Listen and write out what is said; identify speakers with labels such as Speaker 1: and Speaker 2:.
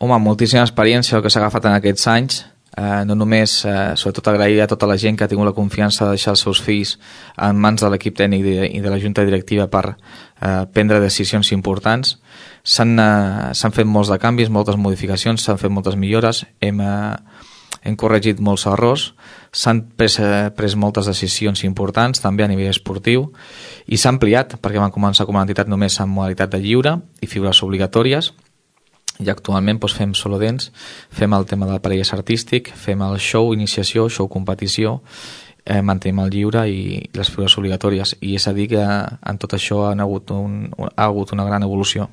Speaker 1: Home, moltíssima experiència el que s'ha agafat en aquests anys, no només, sobretot agrair a tota la gent que ha tingut la confiança de deixar els seus fills en mans de l'equip tècnic i de la junta directiva per prendre decisions importants. S'han fet molts de canvis, moltes modificacions, s'han fet moltes millores, hem corregit molts errors, s'han pres moltes decisions importants, també a nivell esportiu, i s'ha ampliat, perquè vam començar com a entitat només en modalitat de lliure i figures obligatòries, i actualment fem solo dance, fem el tema del parelles artístic, fem el show iniciació, show competició, mantenim el lliure i les figures obligatòries, i és a dir que en tot això ha hagut una gran evolució.